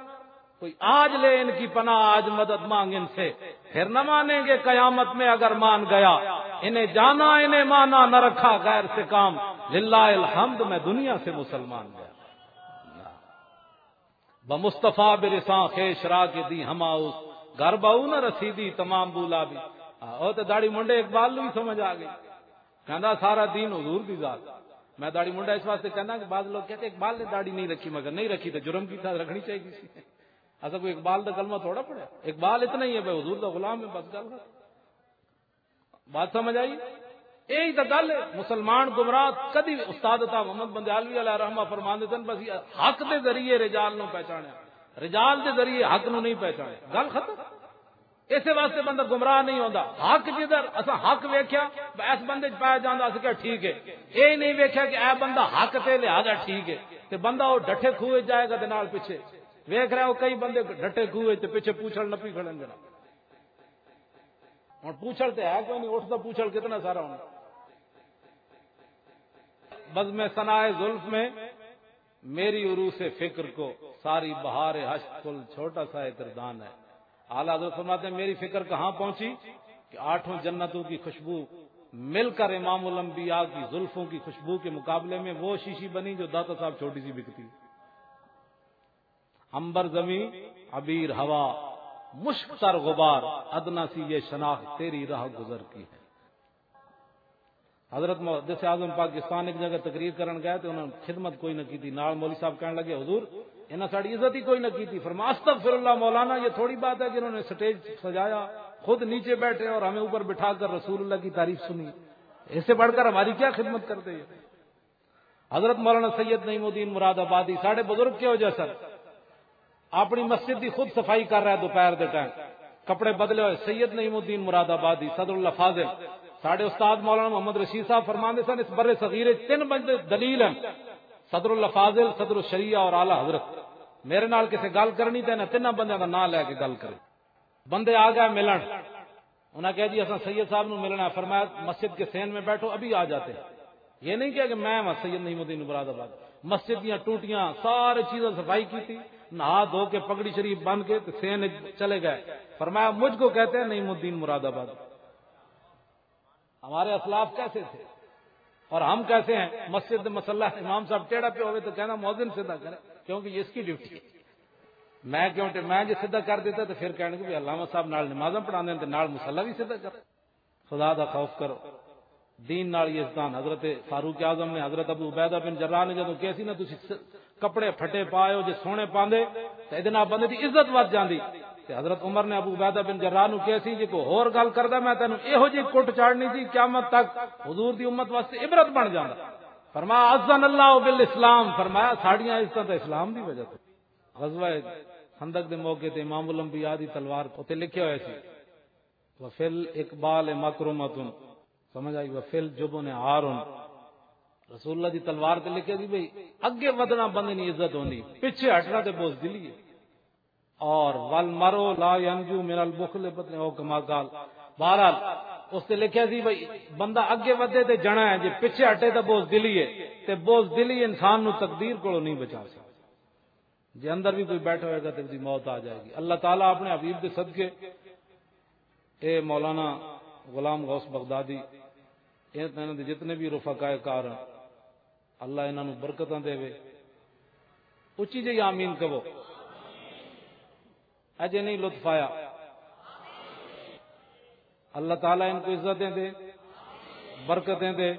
کوئی آج لے ان کی پناہ، آج مدد مانگ ان سے، پھر نہ مانیں گے قیامت میں اگر مان گیا۔ انہیں جانا، انہیں مانا، نہ رکھا غیر سے کام۔ للہ الحمد، میں دنیا سے مسلمان گیا۔ بمصطفیٰ برساں خیش را کے دی ہما اس، گھر بہو نہ رسیدی تمام بولا بھی۔ آ، او تے داڑھی منڈے اقبال نو بھی سمجھ آ گئی۔ کہندا سارا دین حضور دی ذات۔ میں داڑھی منڈا اس واسطے کہنا کہ بعض لوگ کہتے اقبال نے داڑھی نہیں رکھی، مگر نہیں رکھی تو جرم کی تھا، رکھنی چاہیے سی۔ ایسا کوئی اقبال دا کلمہ تھوڑا پڑھا۔ اقبال اتنا ہی ہے بھائی، حضور دا غلام ہے، بس گل ختم۔ بات سمجھ آئی؟ یہی تو گل ہے۔ مسلمان گمراہ کدی، استاد عطا محمد بندیالوی علیہ رحمہ فرماندے سن، بس یہ حق دے ذریعے رجال نو پہچانیا، رجال دے ذریعے حق نو نہیں پہچانیا، گل ختم۔ اسے واسطے بندہ گمراہ نہیں ہوندا۔ حق جدھر اساں حق ویکھیا، اس بندے چ پایا جاندا، اساں کہیا ٹھیک ہے۔ یہ نہیں ویکھیا کہ اے بندہ حق تے، لہذا ٹھیک ہے۔ تے بندہ وہ ڈٹھے کھوہ وچ جائے گا تے نال پیچھے ویکھ رہا، وہ کئی بندے ڈٹھے کھوہ وچ تے پیچھے پوچھل نپی کھڑن جناب۔ ہن پوچھل تے ہے کوئی نہیں، اٹھدا پوچھل کتنا سارا ہونا۔ بزم ثنائے زلف میں میری عروس فکر کو، ساری بہار حشر کل چھوٹا سا ایک کردان ہے۔ اعلیٰ حضرت فرماتے ہیں، میری فکر کہاں پہنچی کہ آٹھوں جنتوں کی خوشبو مل کر امام الانبیاء کی زلفوں کی خوشبو کے مقابلے میں وہ شیشی بنی جو داتا صاحب چھوٹی سی بکتی۔ عنبر زمین، عبیر ہوا، مشک تر غبار، ادنا سی یہ شناخت تیری راہ گزر کی ہے۔ حضرت محدث اعظم پاکستان ایک جگہ تقریر کرن گئے تو انہوں نے خدمت کوئی نہ کی تھی۔ نال مولوی صاحب کہنے لگے، "حضور، انہاں ساڑی عزت ہی کوئی نہ کی تھی۔" فرمایا، "استغفر اللہ مولانا، یہ تھوڑی بات ہے کہ انہوں نے سٹیج سجایا، خود نیچے بیٹھے اور ہمیں اوپر بٹھا کر رسول اللہ کی تعریف سنی۔ اس سے بڑھ کر ہماری کیا خدمت کرتے ہیں؟" حضرت مولانا سید نعیم الدین مراد آبادی ساڈے بزرگ کہو جے سن، اپنی مسجد دی خود صفائی کر رہا ہے دوپہر دے ٹائم، کپڑے بدلے ہوئے، سید نعیم الدین مراد آبادی، صدر اللہ فاضل، ساڈے استاد مولانا محمد رشید صاحب فرماندے سن، اس بر صغیر وچ تین بندے دلیل ہیں، صدر اللہ فاضل، صدر الشریعہ اور اعلیٰ حضرت۔ میرے نال کسے گل کرنی تے انہاں تیناں بندیاں دا نام لے کے گل کرے۔ بندے آ گئے ملن، انہاں کہا، "جی، اساں سید صاحب نو ملنا ہے۔" فرمایا، "مسجد کے سین میں بیٹھو، ابھی آ جاتے ہیں۔" یہ نہیں کہا کہ میں وہاں سید نعیم الدین مراد آباد۔ مسجد دیاں ٹوٹیاں، ساری چیزاں صفائی کی تھی، نہا دھو کے پگڑی شریف بن کے تے سین وچ چلے گئے۔ فرمایا، "مجھ کو کہتے ہیں نعیم الدین مراد آباد۔" ہمارے اسلاف کیسے تھے اور ہم کیسے ہیں؟ مسجد دے مسلح امام صاحب ٹیڑھا پہ ہوئے تو کہنا، "مؤذن سیدھا کرے، کیونکہ یہ اس کی ڈیوٹی ہے۔" میں کیوں ٹے-، میں جے سیدھا کر دیتا تو پھر کہنے کہ بھی علامہ صاحب نال نمازاں پڑھاندے نے تے نال مسلح بھی سیدھا کر۔ خدا دا خوف کرو، دین نال یزدان۔ حضرت فاروق اعظم نے، حضرت ابو عبیدہ بن جراح نے جدوں کہیا سی نا، "تسی س-، کپڑے پھٹے پائے ہو، جے سونے پاندے تے ایدے نال بندے دی عزت ود جاندی۔" تے حضرت عمر نے ابو عبیدہ بن جراح نو کہیا سی، "جے کوئی ہور گل کردا، میں تینوں ایہو جی کٹ چاڑنی سی، قیامت تک حضور دی امت واسطے عبرت بن جاندا۔" فرمایا، "اذن اللہ بالاسلام۔" فرمایا، "ساڈیاں عزتاں تے اسلام دی وجہ تو۔" غزوہ خندق دے موقع تے امام الانبیاء دی تلوار تے لکھیا ہویا سی، "وفل اقبال مکرمتن۔" سمجھ آئی؟ "وفل جبن عارن۔" رسول اللہ دی تلوار تے لکھیا سی بھئی، اگے ودنا بندے نی عزت ہوندی، پیچھے ہٹنا تے بزدلی ہے۔ اور "والمرء لا ينجو من البخل بطن او کما قال۔" بہرحال، اس تے لکھیا سی بھئی، بندہ اگے ودے تے جنا ہے، جے پیچھے ہٹے تے بزدلی ہے، تے بزدلی انسان نو تقدیر کولوں نہیں بچا سکتی۔ جے اندر بھی کوئی بیٹھا ہوئے گا تے اس دی موت آ جائے گی۔ اللہ تعالیٰ اپنے حبیب دے صدقے، اے مولانا غلام غوث بغدادی، اے تے انہاں دے جتنے بھی رفقائے کار ہیں، اللہ انہاں نوں برکتاں دے۔ اچی جی آمین کہو۔ اجے نہیں لطف آیا۔ اللہ تعالیٰ ان کو عزتیں دے، برکتیں دے،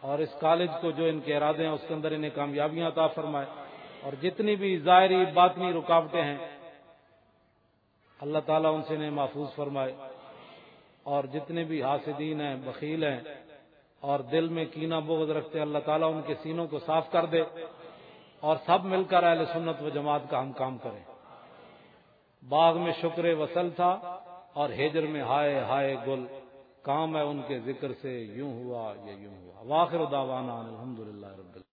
اور اس کالج کو جو ان کے ارادے ہیں اس کے اندر انہیں کامیابیاں عطا فرمائے، اور جتنی بھی ظاہری باطنی رکاوٹیں ہیں اللہ تعالیٰ ان سے انہیں محفوظ فرمائے، اور جتنے بھی حاسدین ہیں، بخیل ہیں، اور دل میں کینہ بغض رکھتے ہیں، اللہ تعالیٰ ان کے سینوں کو صاف کر دے، اور سب مل کر اہل سنت و جماعت کا ہم کام کریں۔ باغ میں شکر وصل تھا اور ہجر میں ہائے ہائے گل، کام ہے ان کے ذکر سے یوں ہوا یا یوں ہوا۔ واخر دعوانا ان الحمدللہ رب العالمین۔